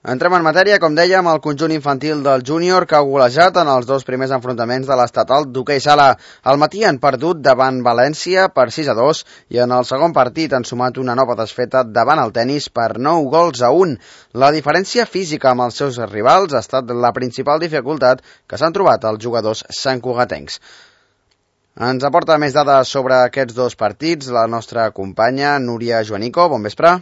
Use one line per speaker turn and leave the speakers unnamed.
Entrem en matèria, com dèiem, el conjunt infantil del júnior que ha golejat en els dos primers enfrontaments de l'estatal d'hoquei sala. Al matí han perdut davant València per 6-2 i en el segon partit han sumat una nova desfeta davant el Tenis per 9-1. La diferència física amb els seus rivals ha estat la principal dificultat que s'han trobat els jugadors santcugatencs. Ens aporta més dades sobre aquests dos partits la nostra companya Núria Joanico. Bon vespre.